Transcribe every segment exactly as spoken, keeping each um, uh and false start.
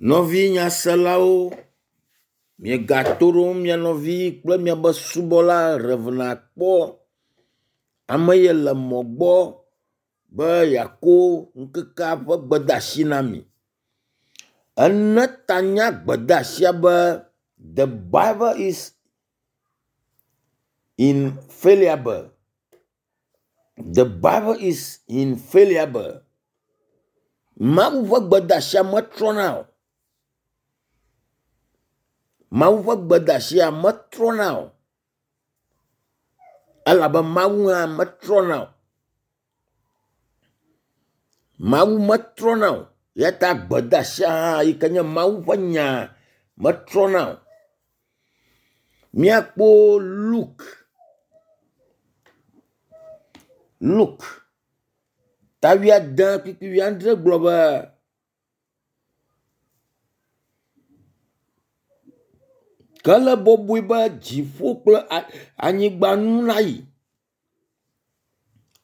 Nɔvi nyaselawo, miegato ɖom mia nɔvi kple miabe subɔla Rev. Akpɔ. Ame ye le mɔ gbɔ be yeako ŋkekea ƒe gbedeasi na mi. Ene ta na gbedeasia be “The Bible is infallible. The Bible is infallible. Mawu ƒe gbedeasia metrɔna o. Mawu ƒe gbedeasia metrɔna o elabe Mawu hã metrɔna o. Mawu metrɔna o eya ta gbedeasia hã yi ke nye Mawu ƒe nya metrɔna o. Míakpɔ Luke Luke ta wuiade kpukpui wuiadre gblɔ be ke ele bɔbɔe be dziƒo kple anyigba nu nayi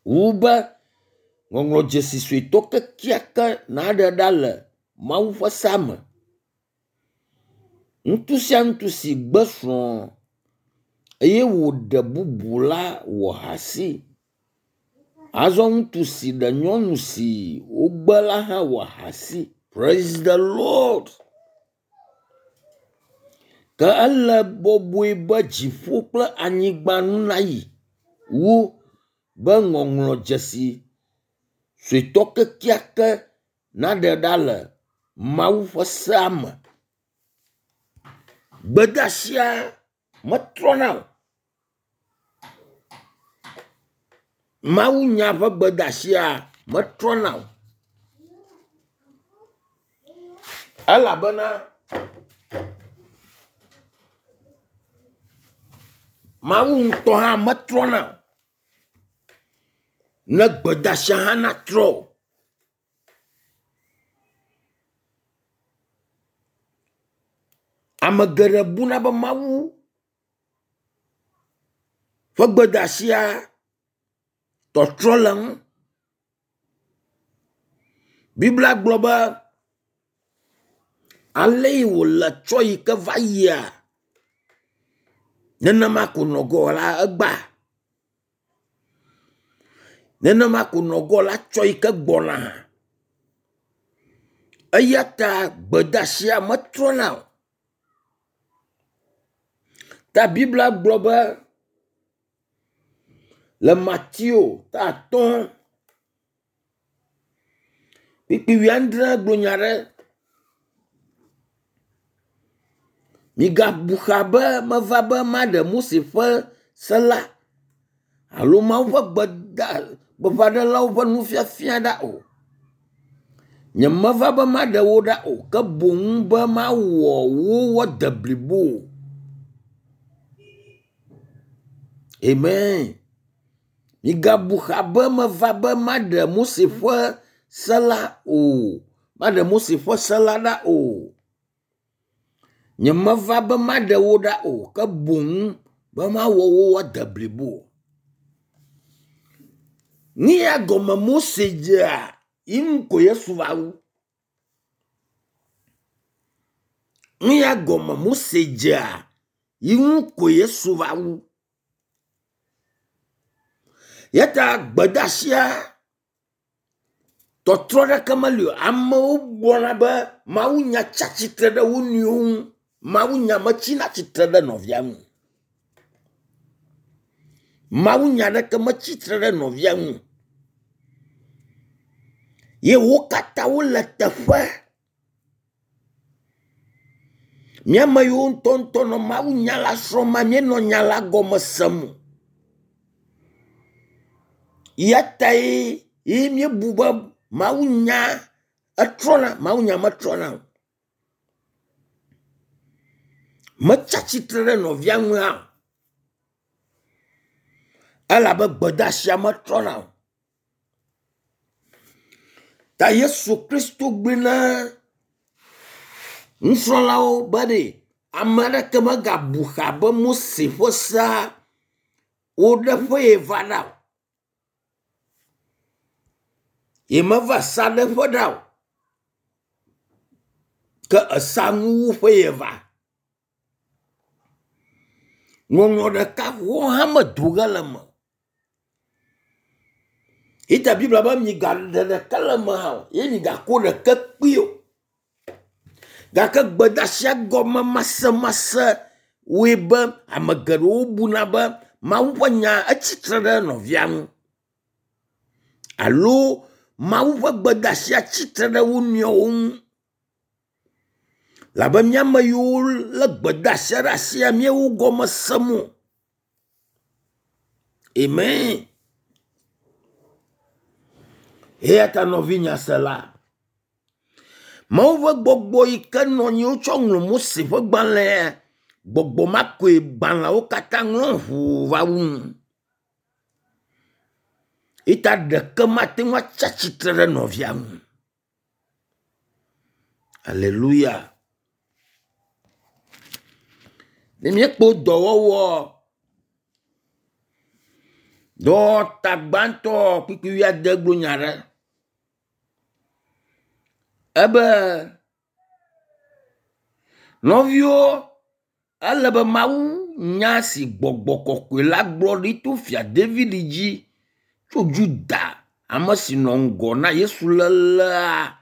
wu be ŋɔŋlɔdzesi suetɔ kekeake naɖe ɖa le Mawu ƒe sea me. Ŋutsu sia ŋutsu si gbe srɔ̃ eye wòɖe bubu la wɔ ahasi. Azɔ ŋutsu si ɖe nyɔnu si wogbe la hã wɔ ahasi. Praise the Lord. Ke ele bɔbɔe be dziƒo kple anyigba nu nayi wu be ŋɔŋlɔdzesi suetɔ kekeake naɖe ɖa le Mawu ƒe sea me. Gbedeasia metrɔna o. Mawunya ƒe gbedeasia metrɔna o. Elabena Mawu ŋutɔ hã metrɔna o. Ne gbedeasia hã natrɔ o. Ame geɖe buna be Mawu ƒe gbedeasia tɔtrɔ le eŋu. Biblia gblɔ be ale yi wòle tsɔ yi ke va yia, nenema ko nɔ gɔ la egbea. Nenema ko nɔ gɔ la tsɔ yi ke gbɔna. Eya ta gbedeasia metrɔna o. Ta Biblia gblɔ be le Mateo ta atɔ̃ kpukpui wuiadre gblɔ nya ɖe. Migabu xa be meva be maɖe Mose ƒe se la alo Mawu ƒe gbeda gbeƒãɖelawo ƒe nufiafia ɖa o. Nyemeva be maɖe wo ɖa o ke boŋ be mawɔ wo woade blibo. Amen. Migabu xa be meva be maɖe Mose ƒe se la o. Maɖe Mose ƒe se la ɖa o. Nyemeva be maɖe wo ɖa o ke boŋ be mawɔ wo woade blibo. Nu ya gɔme Mose dzea yi ŋu ko Yesu va wu. Nu ya gɔme Mose dzea yi ŋu ko Yesu va wu. Ya ta gbedeasia tɔtrɔ ɖeke meli o. Amewo gblɔna be mawunya tsi atsitre ɖe wo nɔewo ŋu. Mawunya metsina tsitre ɖe nɔvia ŋu. Mawunya ɖeke metsi tre ɖe nɔvia ŋu. Ye wo katã wole teƒe. Mía ame yiwo ŋutɔŋutɔ nɔ mawunya la srɔ̃ma míenɔ nya la gɔme sem o. Ya tae ye míebu be mawunya etrɔna, mawunya metrɔna o. Metsi atsitre ɖe nɔvia ŋu hã o. Elabe gbedeasia metrɔna o. Ta Yesu Kristo gblɔe na nusrɔ̃lawo be ɖe ame aɖeke megabu xa be Mose ƒe sea woɖe ƒe ye va ɖa o. Yemeva sa ɖe ƒe ɖa o. Ke esa nuwuƒe ye va. Ŋɔŋlɔ ɖeka ʋɔ hã medo ge le eme o. Ita Biblia be migaɖe ɖeke le eme hã o ye migako ɖeke kpee o. Gake gbedeasia gɔme masemase wɔe be ame geɖewo buna be Mawu ƒe nya etsitre ɖe nɔvia ŋu alo Mawu ƒe gbedeasia tsitre ɖe wo nɔewo ŋu. Labe mía ame yiwo lé gbedeasia ɖe asia míewo gɔme sem o. Amen. Eya ta nɔvinyasela, Mawu ƒe gbɔgbɔ yi ke nɔ anyi wotsɔ ŋlɔ Mose ƒe gbalẽa, gbɔgbɔ ma koe gbalẽawo katã ŋlɔ ʋuu va wu nu. Eya ɖeke mate ŋu atsi atsitre ɖe nɔvia ŋu. Aleluya. Ne míekpɔ dɔwɔwɔ dɔwɔta gbãtɔ kpukpui wuiade gblɔ nya ɖe. Ebe nɔviwo ele be Mawu nya si gbɔgbɔ kɔkɔe la gblɔ ɖi to fia David dzi tso Yuda ame si nɔ ŋgɔ na Yesu lélea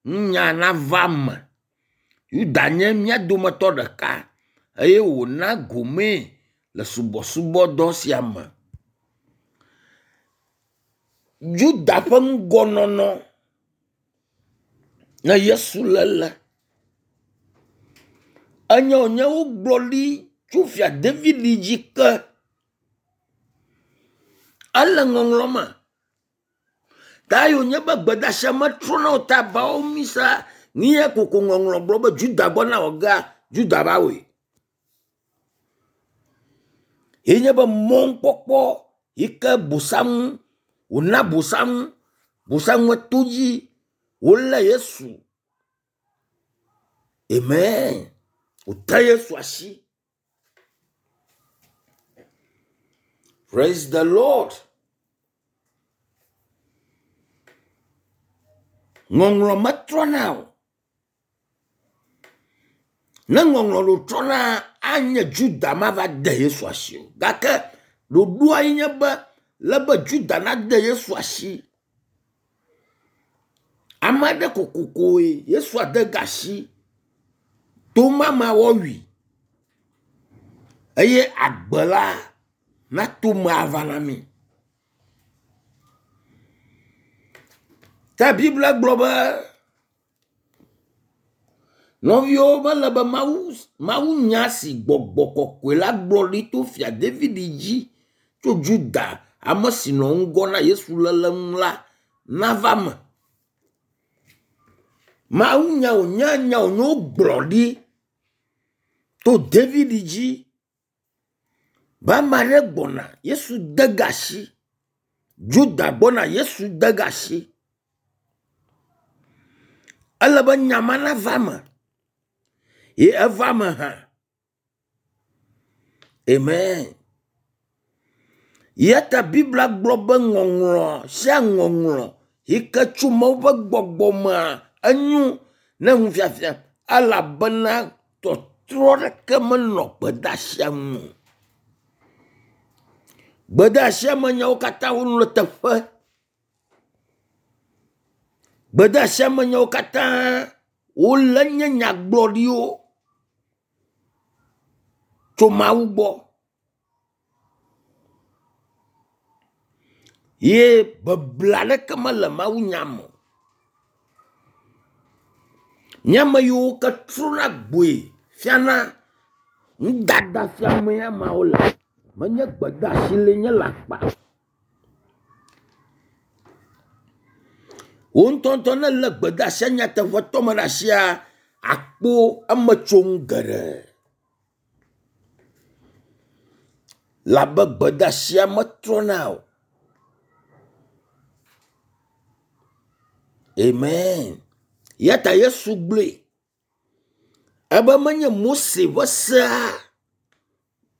ŋunya nava eme. Yuda nye mía dometɔ ɖeka eye wòna gomee le subɔsubɔdɔ sia me. Yuda ƒe ŋgɔnɔnɔ ne Yesu lélea enye wònye wogblɔ ɖi tso fia David dzi ke. Ele ŋɔŋlɔ me. Ta yi wònye be gbedeasia metrɔna o ta bawo misa nu ya koko ŋɔŋlɔ gblɔ be Juda gbɔna wɔ gea, Juda va wɔe. Ye nye be mɔnukpɔkpɔ yi ke bosam wòna bosam bosam to dzi wolé Yesu. Amen. Wòte Yesu asi. Praise the Lord. Ŋɔŋlɔ metrɔna o. Ne ŋɔŋlɔ ɖo trɔna anye Juda mava de Yesu asi o. Gake ɖoɖoa ye nye be le be Juda nade Yesu asi. Ame aɖe kokokoe Yesu ade ga asi. To mama wɔwui eye agbe la nato me ava na mí. Ta Biblia gblɔ be nɔviwo mele be Mawu Mawu nya si gbɔgbɔ kɔkɔe la gblɔ ɖi to fia David dzi tso Juda ame si nɔ ŋgɔ na Yesu lélea ŋu la nava me. Mawu nya wònye nya wònye wogblɔ ɖi to David dzi be ame aɖe gbɔna Yesu de ga asi. Juda gbɔna Yesu de ga asi. Ele be nya ma nava eme. Ye eva eme hã. Amen. Ya ta Biblia gblɔ be ŋɔŋlɔ sia ŋɔŋlɔ yi ke tso Mawu ƒe gbɔgbɔ mea enyo ne nufiafia elabena tɔtrɔ ɖeke menɔ gbedeasia ŋu o. Gbedeasia me nyawo katã wonɔ teƒe. Gbedeasia me nyawo katã wole nye nyagblɔɖiwo tso Mawu gbɔ. Ye beble aɖeke mele Mawu nya me o. Mía ame yiwo ke trɔna gboe fiana nudada fiame ameawo le. Menye gbedeasi le nye le akpa. Wo ŋutɔŋutɔ ne lé gbedeasia nyateƒetɔ me ɖe asia, akpɔ emetsonu geɖe. Labe gbedeasia metrɔna o. Amen. Ya ta Yesu gblɔe ebe menye Mose ƒe sea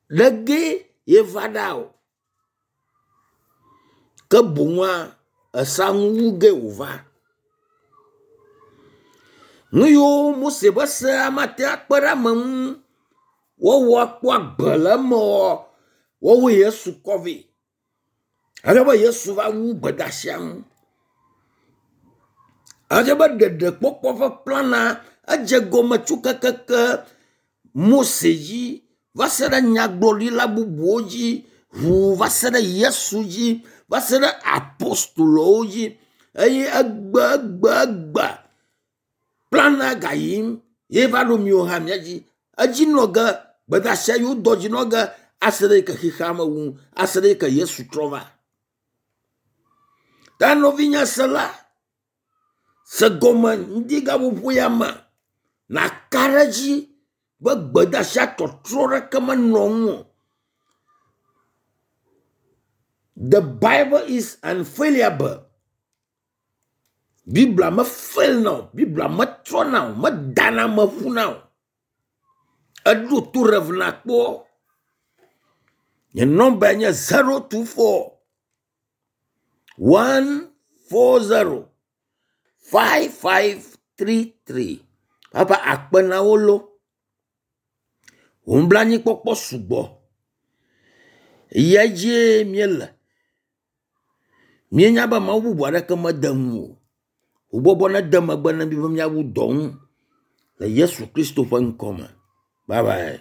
ɖe ye va ɖa o. Ke boŋua esa nuwu ge wòva. Nu yiwo Mose ƒe sea mate akpe ɖe ame ŋu woawɔ akpɔ agbe le eme oa, woawoe Yesu kɔ vɛ. Ale be Yesu va wu gbedasia nu. Edze be ɖeɖekpɔkpɔ ƒe plana edze gɔme tso kekeke Mose dzi va se ɖe nyagblɔɖila bubuwo dzi ʋuu va se ɖe Yesu dzi va se ɖe apostolowo dzi eye egbe egbe egbe plana gayim ye va ɖo miwo hã mia dzi. Edzi nɔ ge gbedasia yiwo dɔ dzi nɔ ge ase ɖe yi ke xexea me wu ase ɖe yi ke Yesu trɔ va. Ta nɔvinye sela, se gɔme ŋdi gaƒoƒo ya me nàka ɖe edzi be gbedasia tɔtrɔ ɖeke menɔ ŋu o. The Bible is unfailable. Biblia me fail na o. Biblia metrɔna o. Medana ame ƒuna o. Eɖo to Rev nakpɔ. Nye nɔmba nye zero two four one four zero five five three three. Papa akpe na wo lo. Wò nublanuikpɔkpɔ sugbɔ. Eya dzie míele. Míenya be Mawu bubu aɖeke mede ŋu o. Wò gbɔgbɔ nede megbe na mí be míawu dɔ ŋu le Yesu Kristo ƒe ŋkɔ me. Bye bye.